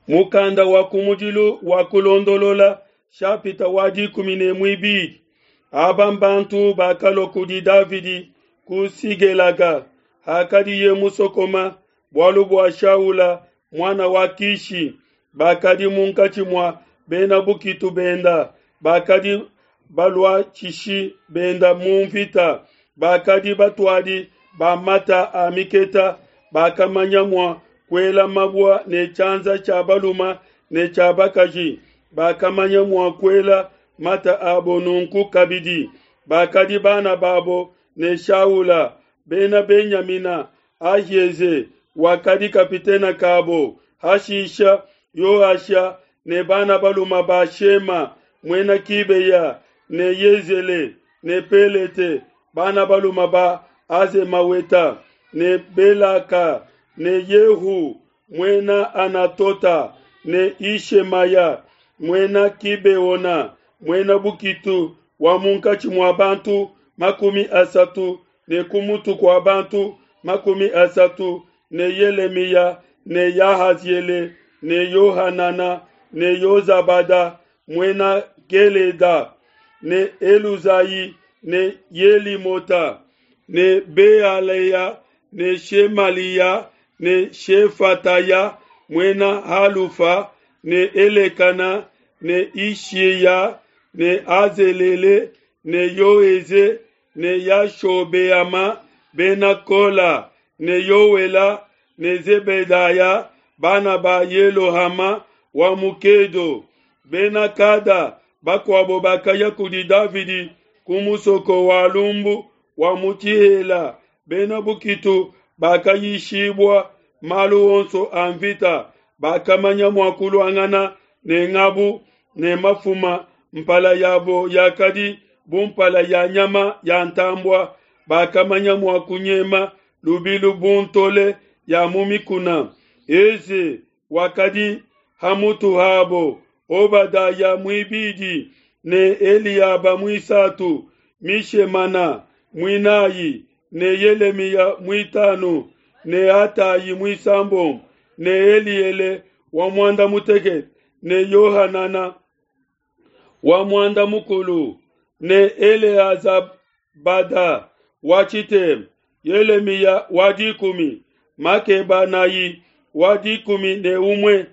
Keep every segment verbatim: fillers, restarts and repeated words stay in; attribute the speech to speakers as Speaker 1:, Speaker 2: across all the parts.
Speaker 1: Mukanda wa kumudilu wa kulondolola shapita wa dikumi ne muibidi. Aba mbantu bakalua kudi Davidi ku Sigelaga hakadiye musokoma bualu bua Shaula muana wa Kishi, bakadi munkatshi mua bena bukitu benda, bakadi baluatshishi benda mu mvita, bakadi batuadi ba mata a miketa, bakamanya mua kuela mabua ne tshianza tshia baluma ne tshia bakaji, bakamanya mua kuela mata abo nunku kabidi. Bakadi bana babo ne Shaula, Bena Benyamina, Ahieze wakadi kapitene kabo, hashisha Yoasha ne bana balume ba Shema, muena Kibeya, ne Yezele ne Pelete, bana balume ba Azemaweta, ne Belaka ne Yehu muena Anatota, ne Ishemaya muena Kibeona, muena bukitu wa munkatshi mua bantu makumi asatu ne ku mutu kua bantu makumi asatu, ne Yelemiya ne Yahaziele ne Yohanana ne Yozabada muena Geleda ne Eluzai ne Yelimota ne Bealeya ne Shemaliya ne Shefataya muena Halufa ne Elekana ne Ishiya ne Azelele ne Yoeze ne Yashobeama bena Kola ne Yoela ne Zebedaya bana ba Yelohama wa mu Kedo. Bena Kada bakuabo bakaya kudi Davidi ku musoko wa lumbu wa mu Tshihela. Bena bukitu bakayishibua malu onso a mvita, bakamanya mua kuluangana ne ngabu ne mafuma, mpala yabo yakadi bu mpala ya nyama ya ntambua, bakamanya mua kunyema lubilu bu ntole ya mu mikuna. Eze wakadi ha mutu habo, Obadaya muibidi ne Eliaba muisatu, Mishemana muinai ne Yelemiya muitanu ne Atayi muisambombo ne Eliele wa muanda mutekete ne Yohanana wa muanda mukulu ne Eleazabada wa tshitema, Yelemiya wa dikumi, Makebanayi wa dikumi ne umue.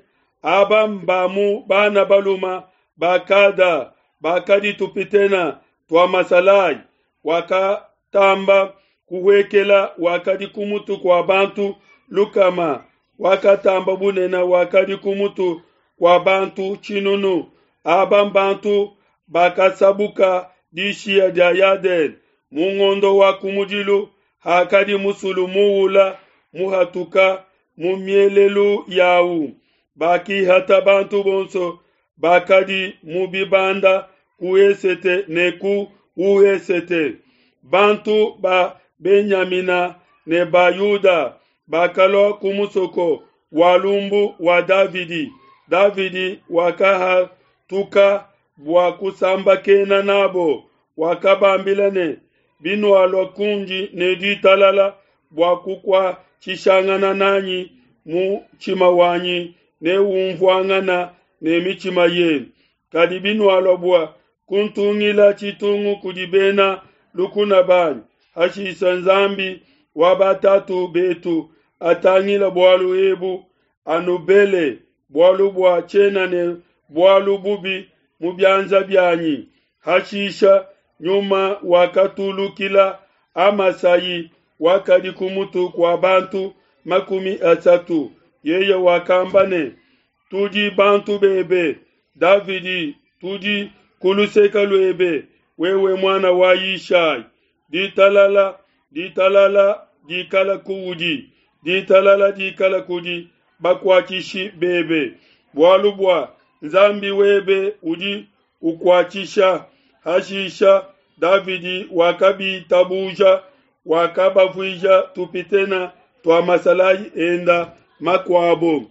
Speaker 1: Aba mbamu bana baluma ba Kada bakadi tupitena tua masalayi, wakatamba kuhuekela wakadi ku mutu kua bantu lukama, wakatamba bunene wakadi ku mutu kua bantu tshinunu. Aba mbantu bakasabuka dishiya dia Yadene mu ngondo wa kumudilu, hakadi musulu muula muhatuka mu mielelu yawu. Bakihata bantu bonso bakadi mu bibanda ku esete ne ku wesete. Bantu ba Benyamina ne ba Yuda bakalua ku musoko wa lumbu wa Davidi. Davidi wakahatuka bua kusambakena nabo, wakabambila ne, binualua kundi ne ditalala bua kukuatshishangana nanyi, mutshima wanyi neumvuangana ne mitshima yenu. Kadi binualua bua kuntungila tshitungu kudi bena lukuna banyi, hashisha Nzambi wa batatu betu atangila bualu ebu, anubele, bualu bua tshiena ne bualu bubi mu bianza bianyi. Hashisha nyuma wakatulukila Amasai wakadi ku mutu kua bantu makumi asatu. Yeye wakamba ne, tudi bantu bebe Davidi, tudi ku luseke luebe, wewe muana wa Yishai. Ditalala, ditalala dikala kuudi, ditalala dikala kudi bakuatshishi bebe, bualu bua Nzambi webe udi ukuatshisha. Hashisha Davidi wakabitabuja, wakabavuija tupitena tua masalayi enda makuabo.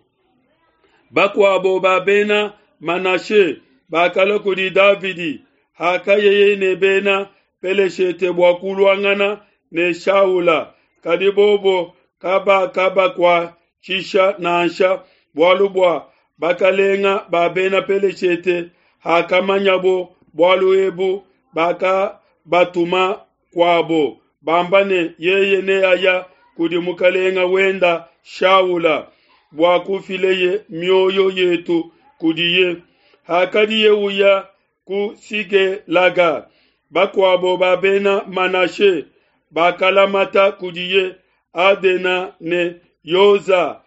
Speaker 1: Bakuabo ba bena Manashe bakalua kudi Davidi hakayeye ne bena Peleshete bua kuluangana ne Shaula, kadi bobo kabakabakuatshisha nansha, bualu bua Bakalenga ba Bena Peleshete hakamanyabo bualu ebu, bakabatuma kuabo bamba ne, yeye neaya kudi mukalenga wenda Shaula bua kufileye mioyo yetu kudiye. Hakadiye uya ku Sigelaga, bakuabo ba Bena Manashe bakalamata kudiye, Adena ne Yoza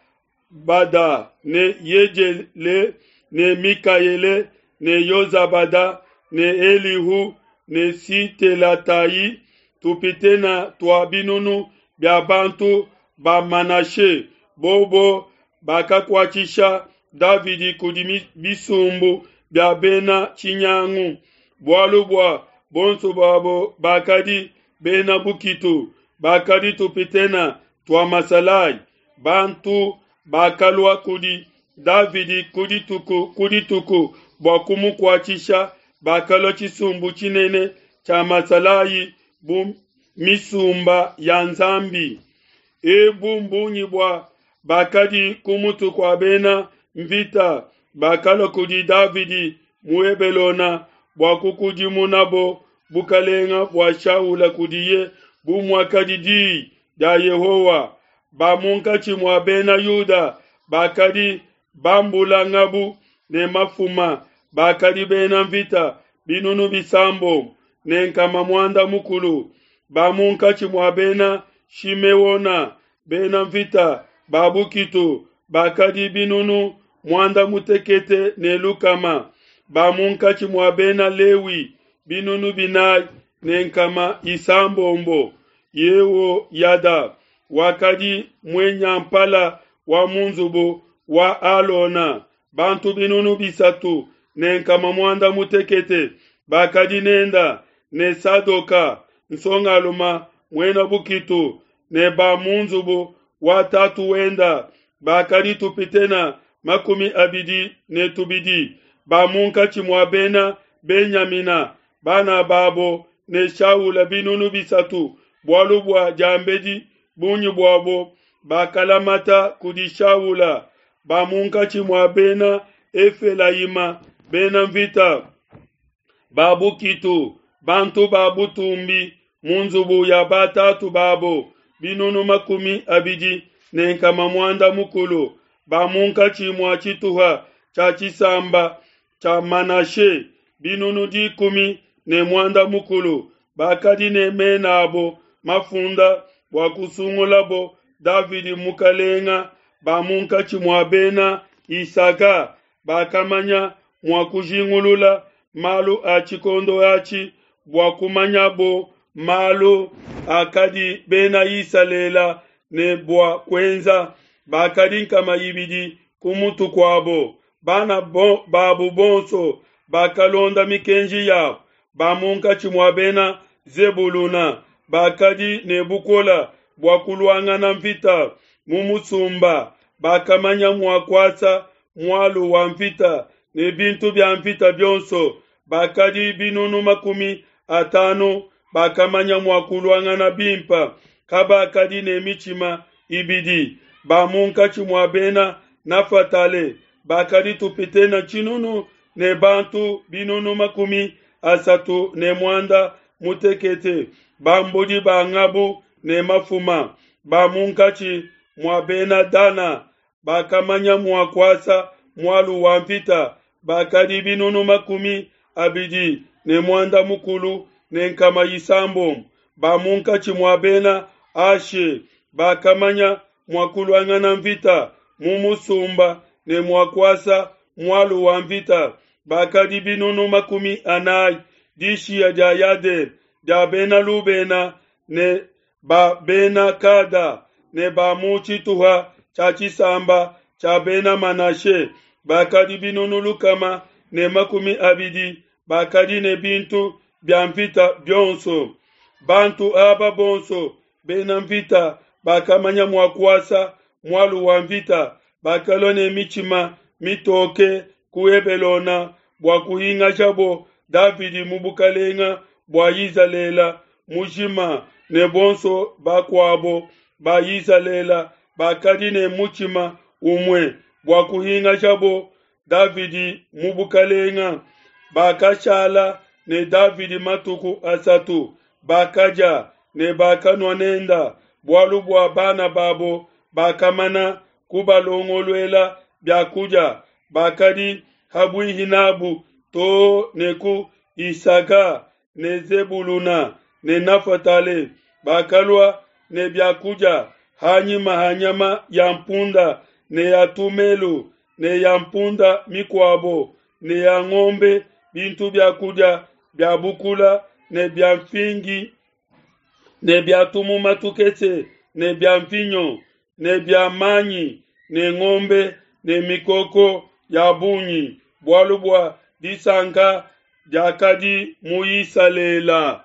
Speaker 1: Bada ne Yejele ne Mikaele ne Yozabada ne Elihu ne Sitelatayi, tupitena tua binunu bia bantu ba Manashe, bobo bakakuatshisha Davidi kudi bisumbu bia bena tshinyangu, bualu bua bonso babo bakadi bena bukitu, bakadi tupitena tua masalayi. Bantu bakalua kudi Davidi ku dituku ku dituku bua kumukuatshisha, bakalua tshisumbu tshinene tshia masalayi bu misumba ya Nzambi. Ebu mbungi bua bakadi ku mutu kua bena mvita bakalua kudi Davidi mu Hebelone bua kukudimunabo bukalenga bua Shaula kudiye bu muakadi diyi dia Yehowa. Ba munkatshi mua bena Yuda bakadi bambula ngabu ne mafuma, bakadi bena mvita binunu bisambombo ne nkama muanda mukulu. Ba munkatshi mua bena Shimeona, bena mvita ba bukitu bakadi binunu muanda mutekete ne lukama. Ba munkatshi mua bena Lewi binunu binayi ne nkama isambombo. Yehoyada wakadi muenyampala wa mu nzubu wa Alona, bantu binunu bisatu ne nkama muanda mutekete bakadi nenda, ne Sadoka nsongaluma muena bukitu, ne ba mu nzubu wa tatu wenda bakadi tupitena makumi abidi ne tubidi. Ba munkatshi mua bena Benyamina, bana babo ne Shaula binunu bisatu, bualu bua diambedi bungi buabo bakalamata kudi Shaula. Ba munkatshi mua bena Efelayima, bena mvita ba bukitu, bantu ba butumbi mu nzubu ya batatu babo binunu makumi abidi ne nkama muanda mukulu. Ba munkatshi mua tshituha tshia tshisamba tshia Manashe binunu dikumi ne muanda mukulu bakadi ne mena abo mafunda bua kusungulabo Davidi mukalenga. Ba munkatshi mua bena Isaka bakamanya mua kujingulula malu a tshikondo atshi bua kumanyabo malu akadi bena Isalele ne bua kuenza, bakadi nkama ibidi ku mutu kuabo. Bana bo, babo bonso bakalonda mikenji yabo. Ba munkatshi mua bena Zebuluna bakadi ne bukole bua kuluangana mvita mu musumba, bakamanya mua kuasa mualu wa mvita ne bintu bia mvita bionso, bakadi binunu makumi atanu bakamanya mua kuluangana bimpe, kabakadi ne mitshima ibidi. Ba munkatshi mua bena Nafatale bakadi tupitena tshinunu ne bantu binunu makumi asatu ne muanda mutekete, bambudi ba ngabu ne mafuma. Ba munkatshi mua bena Dana bakamanya mua kuasa mualu wa mvita, bakadi binunu makumi abidi ne muanda mukulu ne nkama isambombo. Ba munkatshi mua bena Ashe bakamanya mua kuluangana mvita mu musumba ne mua kuasa mualu wa mvita, bakadi binunu makumi anayi. Dishiya dia Yadene dia bena Lubena ne ba bena Kada ne ba mu tshituha tshia tshisamba tshia bena Manashe bakadi binunu lukama ne makumi abidi, bakadi ne bintu bia mvita bionso. Bantu aba bonso bena mvita bakamanya mua kuasa mualu wa mvita, bakalua ne mitshima mitoke ku Hebelone bua kuhingashabo Davidi mu bukalenga bua Izalele mujima, ne bonso bakuabo ba Izalele bakadi ne mutshima umue bua kuhingashabo Davidi mu bukalenga. Bakashala ne Davidi matuku asatu, bakadia ne bakanua nenda, bualu bua bana babo bakamana kubalongoluela bia kudia, bakadi ha buihi n'abo too ne ku Yisaka ne Zebuluna ne Nafatale, bakalua ne bia kudia ha nyima ha nyama ya mpunda ne ya tumelu ne ya mpunda mikuabo ne ya ngombe, bintu bia kudia bia bukula ne bia nfingi ne bia tumuma tukese ne bia mvinyo ne bia manyi ne ngombe ne mikoko ya bungi, bualu bua disanka diakadi mu Isalele.